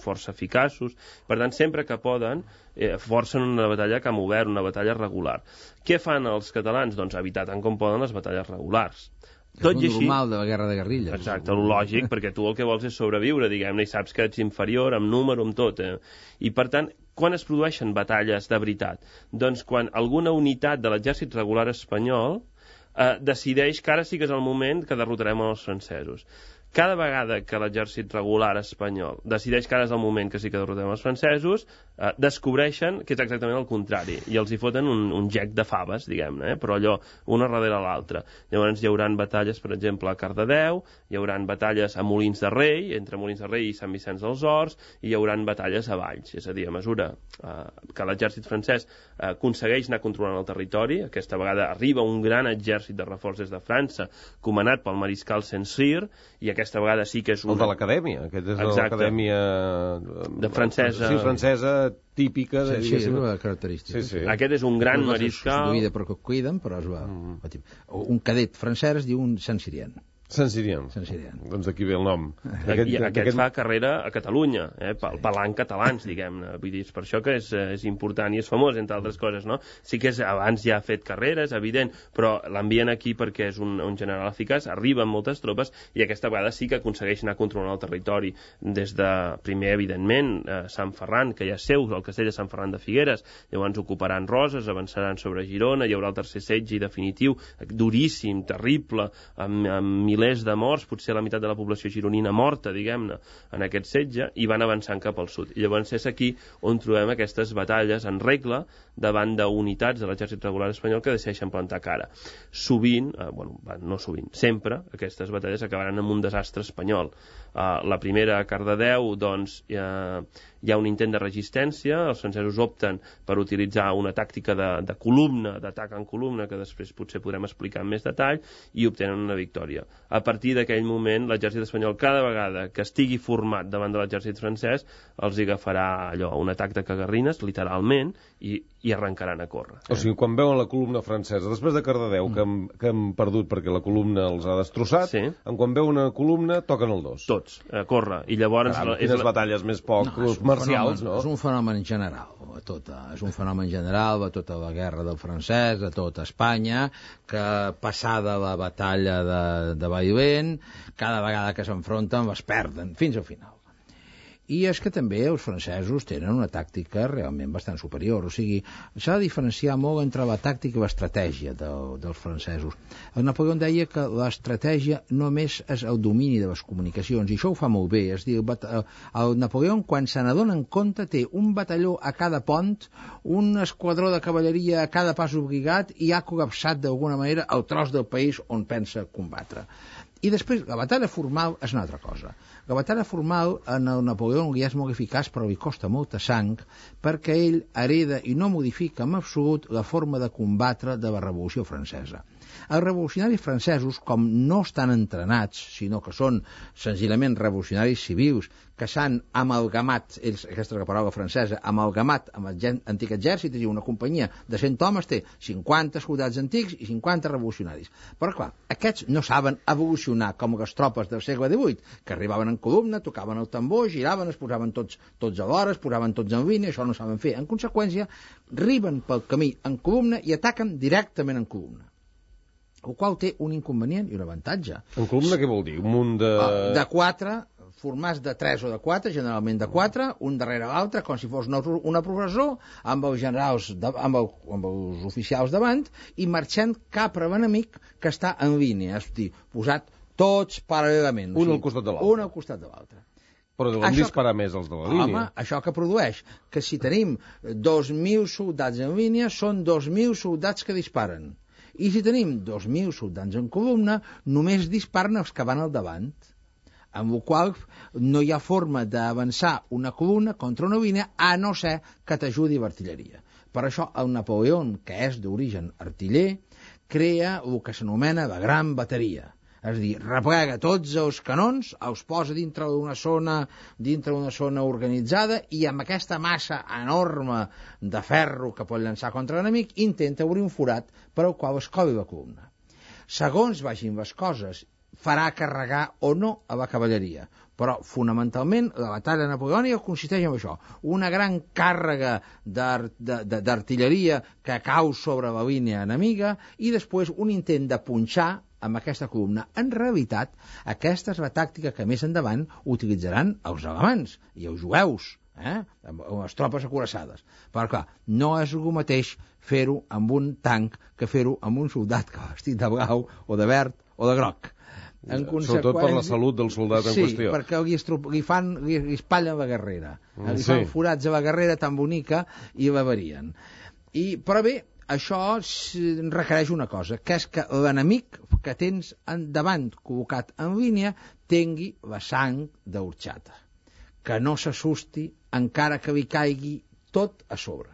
força eficaços. Per tant, sempre que poden, forcen una batalla a camp obert, una batalla regular. Què fan els catalans? Doncs evitar tant com poden les batalles regulars. Tot i així, normal de la guerra de guerrilles. Exacte, el lògic, perquè tu el que vols és sobreviure, diguem-ne, i saps que ets inferior amb número, amb tot. I per tant, quan es produeixen batalles de veritat? Doncs quan alguna unitat de l'exèrcit regular espanyol decideix que ara sí que és el moment que derrotarem els francesos. Cada vegada que l'exèrcit regular espanyol decideix que ara és el moment que sí que derrotem els francesos, descobreixen que és exactament el contrari, i els hi foten un gec de faves, diguem-ne, però allò, una darrere l'altra. Llavors hi haurà batalles, per exemple, a Cardedeu, hi haurà batalles a Molins de Rei, entre Molins de Rei i Sant Vicenç dels Horts, i hi haurà batalles a Valls, és a dir, a mesura que l'exèrcit francès aconsegueix anar controlant el territori. Aquesta vegada arriba un gran exèrcit de reforç des de França, comanat pel mariscal Saint-Cyr, i aquesta vegada sí que és el de l'acadèmia, aquest és l'acadèmia de francesa, sí, francesa típica de... Sí, la característica. Sí. Aquest és un gran mariscal substituïda per Cuiden, però es va... Un cadet francès es diu un Saint-Cyrien. Saint-Cyrien. Doncs d'aquí ve el nom. Aquest fa carrera a Catalunya, parlant catalans, diguem-ne. Vull dir, és per això que és important i és famós, entre altres coses, no? Sí que abans ja ha fet carreres, evident, però l'envien aquí perquè és un general eficaç, arriben moltes tropes i aquesta vegada sí que aconsegueix anar controlant el territori. Des de, primer, evidentment, Sant Ferran, que ja és seu, el castell de Sant Ferran de Figueres, llavors ocuparan Roses, avançaran sobre Girona, hi haurà el tercer setge definitiu, duríssim, terrible, amb milers de morts, potser la meitat de la població gironina morta, diguem-ne, en aquest setge, i van avançant cap al sud. I llavors és aquí on trobem aquestes batalles en regla davant d'unitats de l'exèrcit regular espanyol que decideixen plantar cara. Sovint, no sovint, sempre, aquestes batalles acabaran amb un desastre espanyol. La primera a Cardedeu, doncs, hi ha un intent de resistència, els francesos opten per utilitzar una tàctica de columna, d'atac en columna, que després potser podrem explicar en més detall, i obtenen una victòria. A partir d'aquell moment, l'exèrcit espanyol, cada vegada que estigui format davant de l'exèrcit francès, els agafarà allò, un atac de cagarrines, literalment, i arrencaran a córrer. O sigui, quan veuen la columna francesa, després de Cardedeu, que han perdut perquè la columna els ha destrossat, quan veuen una columna, toquen el dos. Tots, a córrer. I llavors... Quines batalles més poc marcials, no? És un fenomen general, és un fenomen general de tota la guerra del francès, de tota Espanya, que passada la batalla de Bailén, cada vegada que s'enfronten es perden, fins al final. I és que també els francesos tenen una tàctica realment bastant superior, o sigui, s'ha de diferenciar molt entre la tàctica i l'estratègia dels francesos. El Napoleó deia que l'estratègia només és el domini de les comunicacions, i això ho fa molt bé, és dir, el Napoleó, quan se n'adona en compte, té un batalló a cada pont, un esquadró de cavalleria a cada pas obligat, i ha col·lapsat d'alguna manera el tros del país on pensa combatre. I després, la batalla formal és una altra cosa. La batalla formal en el Napoleó ja és molt eficaç, però li costa molta sang, perquè ell hereda i no modifica en absolut la forma de combatre de la Revolució Francesa. Els revolucionaris francesos, com no estan entrenats, sinó que són senzillament revolucionaris civils, que s'han amalgamat, aquesta és la paraula francesa, amalgamat amb l'antic exèrcit, és a dir, una companyia de 100 homes té 50 soldats antics i 50 revolucionaris. Però clar, aquests no saben evolucionar com les tropes del segle XVIII, que arribaven en columna, tocaven el tambor, giraven, es posaven tots alhora, es posaven tots en línia, això no saben fer. En conseqüència, arriben pel camí en columna i ataquen directament en columna. El qual té un inconvenient i un avantatge. En columna què vol dir? Un munt de... De 4, formats de 3 o de 4, generalment de 4, un darrere l'altre, com si fos una processó, amb els generals, amb els oficials davant, i marxant cap a l'enemic que està en línia, és a dir, posat tots paral·lelament. Un al costat de l'altre. Un al costat de l'altre. Però deuen disparar més els de la línia. Home, això que produeix, que si tenim 2.000 soldats en línia, són 2.000 soldats que disparen. I si tenim 2.000 soldats en columna, només disparen els que van al davant, amb la qual no hi ha forma d'avançar una columna contra una línia, a no ser que t'ajudi l'artilleria. Per això el Napoleó, que és d'origen artiller, crea el que s'anomena la gran bateria. És a dir, replega tots els canons, els posa dintre d'una zona organitzada i amb aquesta massa enorme de ferro que pot llançar contra l'enemic intenta obrir un forat per al qual es coli la columna. Segons vagin les coses, farà carregar o no a la cavalleria. Però, fonamentalment, la batalla napoleònica consisteix en això. Una gran càrrega d'artilleria que cau sobre la línia enemiga i després un intent de punxar amb aquesta columna. En realitat, aquesta és la tàctica que més endavant utilitzaran els alemans i els jueus, amb les tropes acoraçades. Però, clar, no és el mateix fer-ho amb un tanc que fer-ho amb un soldat que va vestit de blau o de verd o de groc. Sobretot per la salut del soldat en qüestió. Sí, perquè li espatllen la guerrera. Li fan forats a la guerrera tan bonica i la varien. Però bé, això requereix una cosa, que és que l'enemic que tens davant col·locat en línia tingui la sang d'orxata, que no s'assusti encara que li caigui tot a sobre,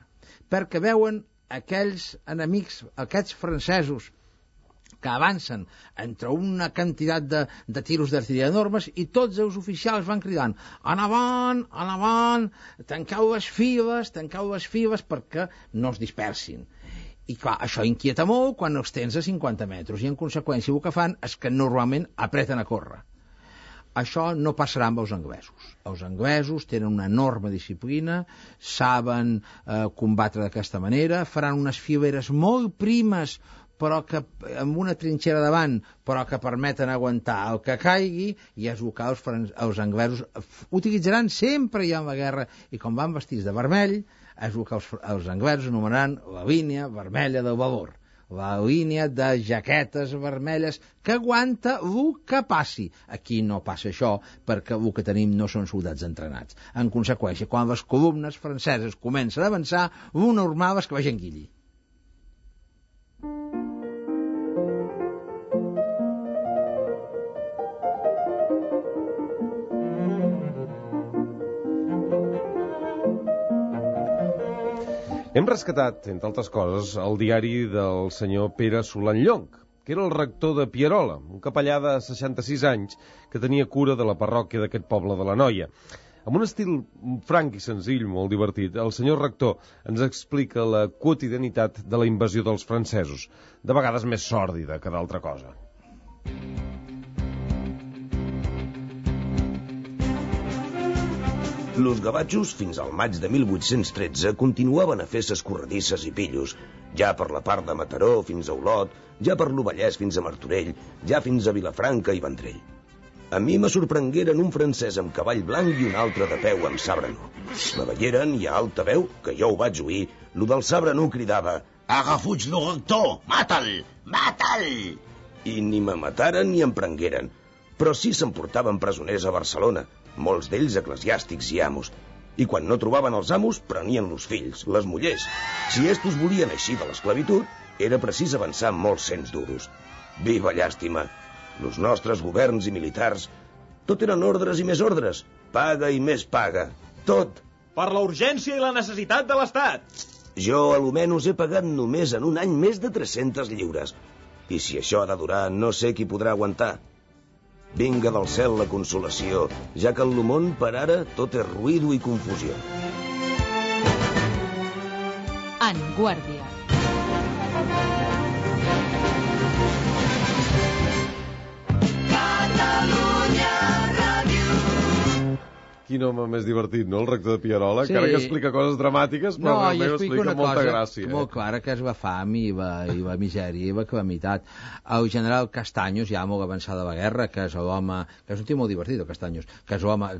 perquè veuen aquells enemics, aquests francesos que avancen entre una quantitat de tiros d'artilleria enormes i tots els oficials van cridant en avant, tanqueu les files perquè no es dispersin. I clar, això inquieta molt quan els tens a 50 metres i en conseqüència el que fan és que normalment apreten a córrer. Això no passarà amb els anglesos. Els anglesos tenen una enorme disciplina, saben combatre d'aquesta manera, faran unes fileres molt primes però que amb una trinxera davant, però que permeten aguantar el que caigui, i és el que els anglesos utilitzaran sempre ja en la guerra, i com van vestits de vermell, és el que els anglesos anomenaran la línia vermella del valor, la línia de jaquetes vermelles que aguanta el que passi. Aquí no passa això, perquè el que tenim no són soldats entrenats. En conseqüència, quan les columnes franceses comencen a avançar, el normal és que vagin guilli. Hem rescatat, entre altres coses, el diari del senyor Pere Solant Llonch, que era el rector de Pierola, un capellà de 66 anys que tenia cura de la parròquia d'aquest poble de l'Anoia. Amb un estil franc i senzill, molt divertit, el senyor rector ens explica la quotidianitat de la invasió dels francesos, de vegades més sòrdida que d'altra cosa. Los gavatxos, fins al maig de 1813, continuaven a fer ses corredisses i pillos, ja per la part de Mataró fins a Olot, ja per l'Ovellès fins a Martorell, ja fins a Vilafranca i Vendrell. A mi me sorprengueren un francès amb cavall blanc i un altre de peu amb sabre nu. Me veieren i a alta veu, que jo ho vaig oir, lo del sabre nu cridava «Agafuig lo rector! Mata'l! Mata'l!» I ni me mataren ni em prengueren, però sí s'emportaven presoners a Barcelona, molts d'ells eclesiàstics i amos, i quan no trobaven els amos, prenien los fills, les mullers. Si estos volien eixir de l'esclavitud, era precís avançar molts cents duros. Viva llàstima! Els nostres governs i militars, tot eren ordres i més ordres, paga i més paga, tot. Per la urgència i la necessitat de l'Estat. Jo, almenys, he pagat només en un any més de 300 lliures. I si això ha de durar, no sé qui podrà aguantar. Vinga del cel la consolació, ja que en el món, per ara, tot és ruïdo i confusió. En Guàrdia. Quin home més divertit, no?, el rector de Pierola, Sí. encara que explica coses dramàtiques, però realment explica molta gràcia. molt clara, que es va fam i va misèria i va calamitat. El general Castaños, ja molt avançada la guerra, que és l'home, que és un tio molt divertit, el Castaños, que és l'home,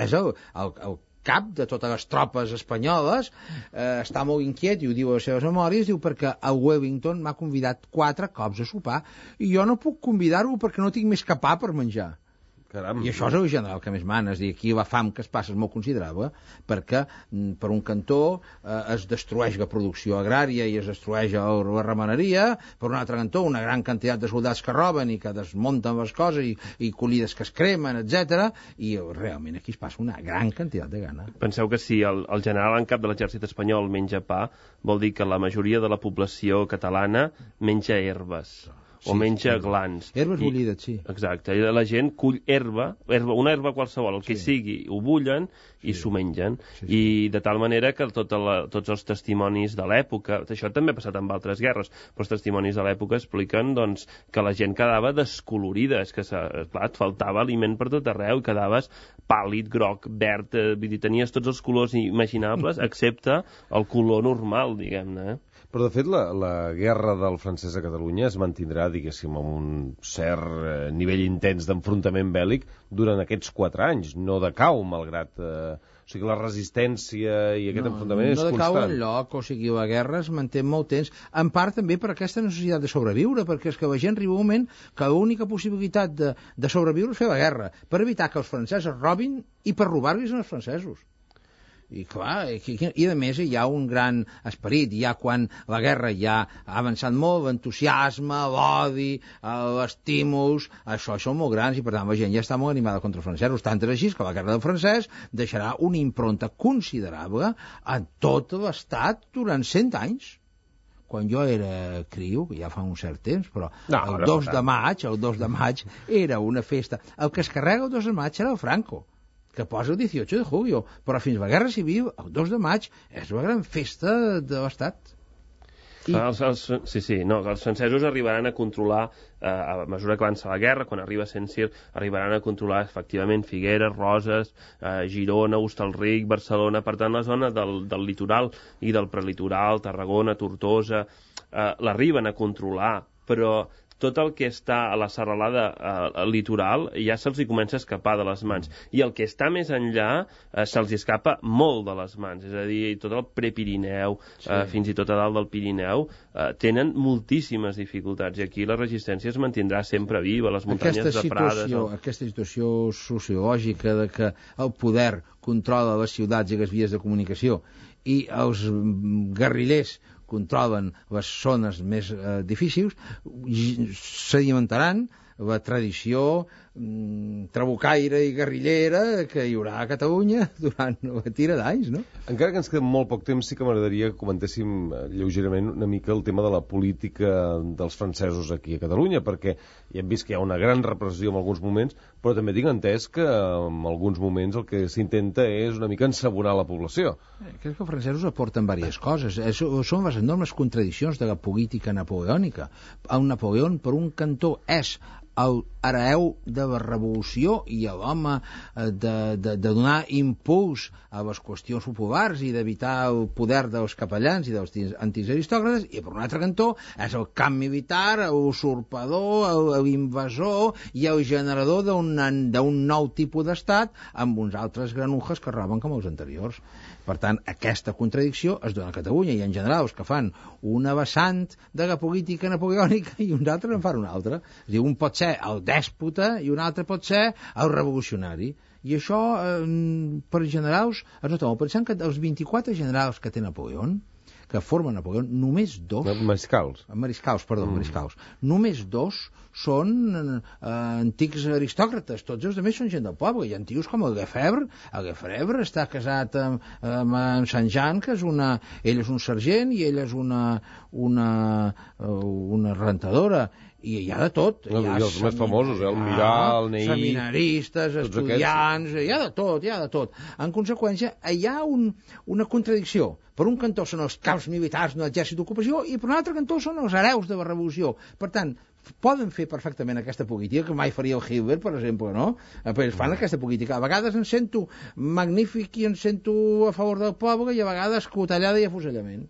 és el cap de totes les tropes espanyoles, està molt inquiet, i ho diu a les seves memòries, diu perquè el Wellington m'ha convidat 4 cops a sopar, i jo no puc convidar-ho perquè no tinc més que pa per menjar. Caram. I això és el general que més mana, és a dir, aquí la fam que es passa és molt considerable, perquè per un cantó es destrueix la producció agrària i es destrueix la ramaderia, per un altre cantó una gran quantitat de soldats que roben i que desmunten les coses i collides que es cremen, etc. I realment aquí es passa una gran quantitat de gana. Penseu que si el general en cap de l'exèrcit espanyol menja pa, vol dir que la majoria de la població catalana menja herbes. O menja glans. Herbes bullides, sí. Exacte. I la gent cull una herba qualsevol, el que sigui, ho bullen i s'ho mengen. I de tal manera que tots els testimonis de l'època, això també ha passat amb altres guerres, però els testimonis de l'època expliquen doncs, que la gent quedava descolorida, és que clar, et faltava aliment per tot arreu, quedaves pàl·lid, groc, verd, vull dir, tenies tots els colors imaginables, excepte el color normal, diguem-ne. Però, de fet, la guerra del francès a Catalunya es mantindrà, diguéssim, amb un cert nivell intens d'enfrontament bèl·lic durant aquests 4 anys. No decau, malgrat... O sigui, la resistència i aquest enfrontament és constant. No decau enlloc, o sigui, la guerra es manté molt temps, en part també per aquesta necessitat de sobreviure, perquè és que la gent arriba un moment que l'única possibilitat de sobreviure és fer la guerra, per evitar que els francesos robin i per robar-los als francesos. I clar, i a més hi ha un gran esperit, ja quan la guerra ja ha avançat molt, l'entusiasme, l'odi, els estímuls, això són molt grans, i per tant la gent ja està molt animada contra els francesos, tant és així que la guerra del francès deixarà una impronta considerable a tot l'Estat durant 100 anys. Quan jo era criu, ja fa un cert temps, però el 2 de maig era una festa. El que es carrega el 2 de maig era el Franco, que posa el 18 de julio, però fins a la Guerra Civil, el 2 de maig, és una gran festa de l'Estat. Els francesos arribaran a controlar, a mesura que avança la guerra, quan arriba Saint-Cyr, arribaran a controlar efectivament Figueres, Roses, Girona, Hostalric, Barcelona, per tant la zona del litoral i del prelitoral, Tarragona, Tortosa, l'arriben a controlar, però tot el que està a la serralada litoral ja se'ls hi comença a escapar de les mans. I el que està més enllà se'ls escapa molt de les mans. És a dir, tot el prepirineu, fins i tot a dalt del Pirineu, tenen moltíssimes dificultats. I aquí la resistència es mantindrà sempre viva, les muntanyes de Prades... Aquesta situació sociològica de que el poder controla les ciutats i les vies de comunicació i els guerrillers controlen les zones més difícils, sedimentaran la tradició trabucaire i guerrillera que hi haurà a Catalunya durant la tira d'anys, no? Encara que ens queda molt poc temps, sí que m'agradaria que comentéssim lleugerament una mica el tema de la política dels francesos aquí a Catalunya, perquè ja hem vist que hi ha una gran repressió en alguns moments, però també tinc entès que en alguns moments el que s'intenta és una mica ensabonar la població. Crec que els francesos aporten diverses coses. Són les enormes contradiccions de la política napoleònica. El Napoleó, per un cantó, és l'hereu de la revolució i l'home de donar impuls a les qüestions populars i d'evitar el poder dels capellans i dels antics aristòcrates, i per un altre cantó és el camp militar, l'usurpador, l'invasor i el generador d'un nou tipus d'estat amb uns altres granujas que roben com els anteriors. Per tant, aquesta contradicció es dona a Catalunya, i en general els que fan una vessant de la política napoleònica i uns altres en fan una altra. És a dir, un pot ser el dèspota i un altre pot ser el revolucionari. I això, per generals, es nota molt. Pensant que els 24 generals que té Napoleó, que formen Napoleó, només 2... Mariscals. Mariscals. Només 2 són antics aristòcrates, tots els altres són gent del poble. Hi ha tios com el Lefebvre està casat amb Sant Jean, que és ella és un sergent i ella és una rentadora, i hi ha de tot. I els més famosos, el Mirà, el Neí... Seminaristes, estudiants, hi ha de tot. En conseqüència, hi ha una contradicció. Per un cantó són els caps militars de l'exèrcit d'ocupació i per un altre cantó són els hereus de la revolució. Per tant, poden fer perfectament aquesta política, que mai faria el Hitler, per exemple, no? Però fan aquesta política. A vegades em sento magnífic i em sento a favor del poble i a vegades cotellada i afusellament.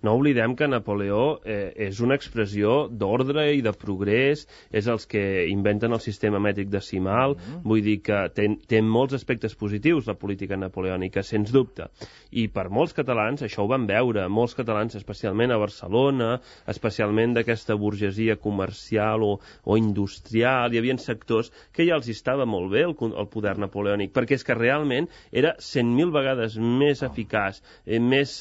No oblidem que Napoleó és una expressió d'ordre i de progrés, és els que inventen el sistema mètric decimal, vull dir que té molts aspectes positius la política napoleònica, sens dubte. I per molts catalans, això ho van veure, molts catalans, especialment a Barcelona, especialment d'aquesta burgesia comercial o industrial, hi havia sectors que ja els estava molt bé el poder napoleònic, perquè és que realment era 100.000 vegades més eficaç, més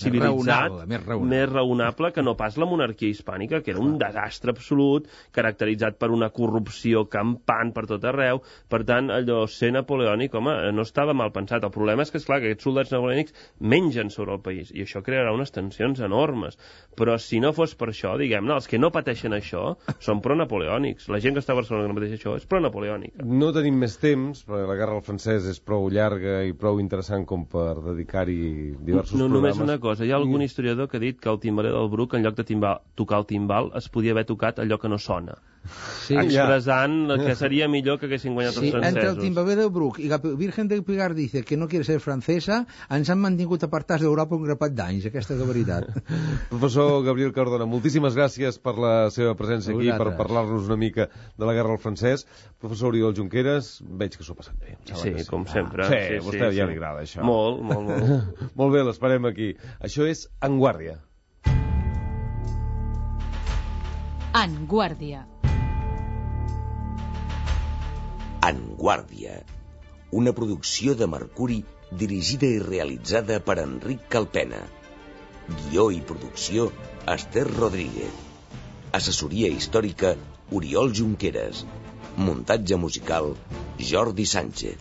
civilitzat, més raonable que no pas la monarquia hispànica, que era un desastre absolut, caracteritzat per una corrupció campant per tot arreu. Per tant, allò ser napoleònic, home, no estava mal pensat. El problema és que, esclar, que aquests soldats napoleònics mengen sobre el país, i això crearà unes tensions enormes. Però si no fos per això, diguem-ne, els que no pateixen això són pro-napoleònics. La gent que està a Barcelona que no pateix això és pro-napoleònica. No tenim més temps, perquè la guerra del francès és prou llarga i prou interessant com per dedicar-hi diversos programes. Només una cosa, hi ha algun historiador que ha dit que el timbaler del Bruc, en lloc de tocar el timbal, es podia haver tocat allò que no sona. Sí, expressant que seria millor que haguessin guanyat els francesos. Entre el timbaler del Bruc i la Virgen del Pilar dice que no quiere ser francesa, ens han mantingut apartats d'Europa un grapat d'anys, aquesta és la veritat. Professor Gabriel Cardona, moltíssimes gràcies per la seva presència aquí, per parlar-nos una mica de la guerra del francès. Professor Oriol Junqueras, veig que s'ho ha passat bé. Sí, com sempre. Sí, a vostè ja li agrada això. Molt. Molt bé, l'esperem aquí. Això és En Guàrdia. En Guàrdia. En Guàrdia, una producció de Mercuri dirigida i realitzada per Enric Calpena. Guió i producció, Esther Rodríguez. Assessoria històrica, Oriol Junqueras. Muntatge musical, Jordi Sánchez.